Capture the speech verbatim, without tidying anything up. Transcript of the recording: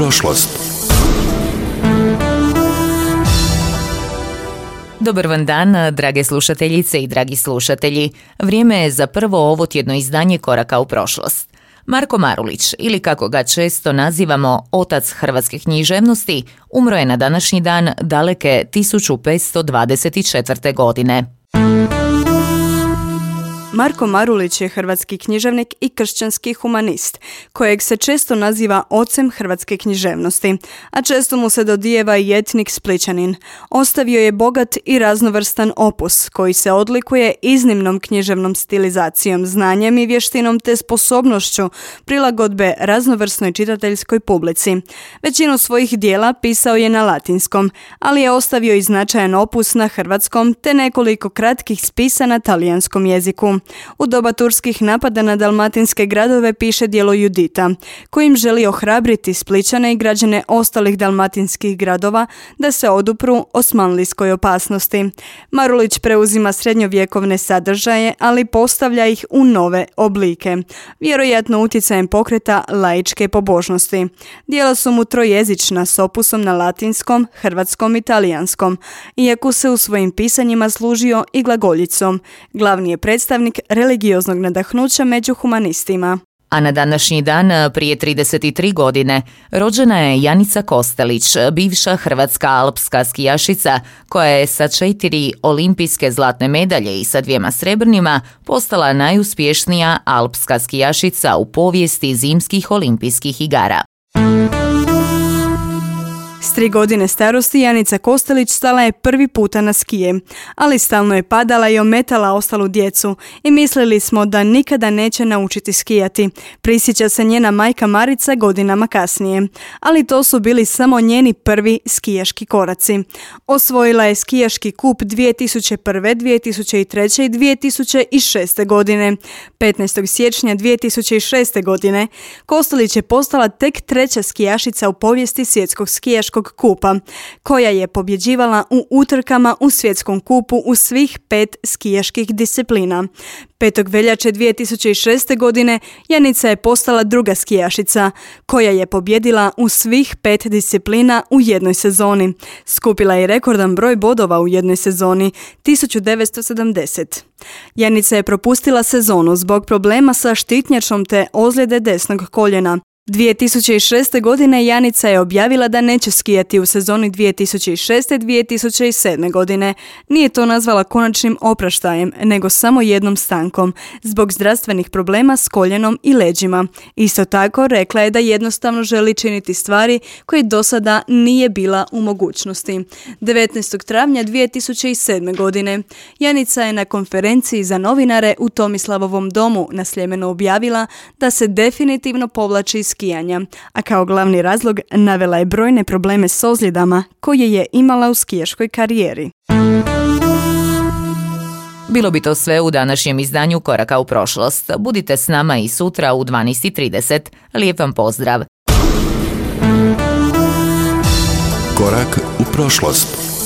prošlost. Dobar vam dan, drage slušateljice i dragi slušatelji. Vrijeme je za prvo ovotjedno izdanje Koraka u prošlost. Marko Marulić, ili kako ga često nazivamo otac hrvatske književnosti, umro je na današnji dan daleke tisuću petsto dvadeset četvrte. godine. Marko Marulić je hrvatski književnik i kršćanski humanist, kojeg se često naziva ocem hrvatske književnosti, a često mu se dodijeva i etnik Splićanin. Ostavio je bogat i raznovrstan opus, koji se odlikuje iznimnom književnom stilizacijom, znanjem i vještinom te sposobnošću prilagodbe raznovrsnoj čitateljskoj publici. Većinu svojih dijela pisao je na latinskom, ali je ostavio i značajan opus na hrvatskom te nekoliko kratkih spisa na talijanskom jeziku. U doba turskih napada na dalmatinske gradove piše djelo Judita, kojim želi ohrabriti Splićane i građane ostalih dalmatinskih gradova da se odupru osmanlijskoj opasnosti. Marulić preuzima srednjovjekovne sadržaje, ali postavlja ih u nove oblike, vjerojatno utjecajem pokreta laičke pobožnosti. Djela su mu trojezična s opusom na latinskom, hrvatskom i talijanskom, iako se u svojim pisanjima služio i glagoljicom. Glavni je predstavnik religioznog nadahnuća među humanistima. A na današnji dan, prije trideset tri godine, rođena je Janica Kostelić, bivša hrvatska alpska skijašica, koja je sa četiri olimpijske zlatne medalje i sa dvijema srebrnima postala najuspješnija alpska skijašica u povijesti zimskih olimpijskih igara. S tri godine starosti Janica Kostelić stala je prvi puta na skije, ali stalno je padala i ometala ostalu djecu i mislili smo da nikada neće naučiti skijati. Prisjeća se njena majka Marica godinama kasnije, ali to su bili samo njeni prvi skijaški koraci. Osvojila je skijaški kup dvije tisuće prve, dvije tisuće treće i dvije tisuće šeste. godine. petnaestog siječnja dvije tisuće šeste. godine Kostelić je postala tek treća skijašica u povijesti svjetskog skijaškog kupa, koja je pobjeđivala u utrkama u svjetskom kupu u svih pet skijaških disciplina. petog veljače dvije tisuće šeste. godine Janica je postala druga skijašica, koja je pobjedila u svih pet disciplina u jednoj sezoni. Skupila je rekordan broj bodova u jednoj sezoni, tisuću devetsto sedamdeset. Janica je propustila sezonu zbog problema sa štitnjačom te ozljede desnog koljena. dvije tisuće šeste. godine Janica je objavila da neće skijati u sezoni dvije tisuće šeste. dvije tisuće sedme. godine. Nije to nazvala konačnim opraštajem, nego samo jednom stankom, zbog zdravstvenih problema s koljenom i leđima. Isto tako rekla je da jednostavno želi činiti stvari koje do sada nije bila u mogućnosti. devetnaestog travnja dvije tisuće sedme. godine Janica je na konferenciji za novinare u Tomislavovom domu na Sljemenu objavila da se definitivno povlači iz skijanja, a kao glavni razlog navela je brojne probleme s ozljedama koje je imala u skijaškoj karijeri. Bilo bi to sve u današnjem izdanju Koraka u prošlost. Budite s nama i sutra u dvanaest i trideset. Lijep vam pozdrav. Korak u prošlost.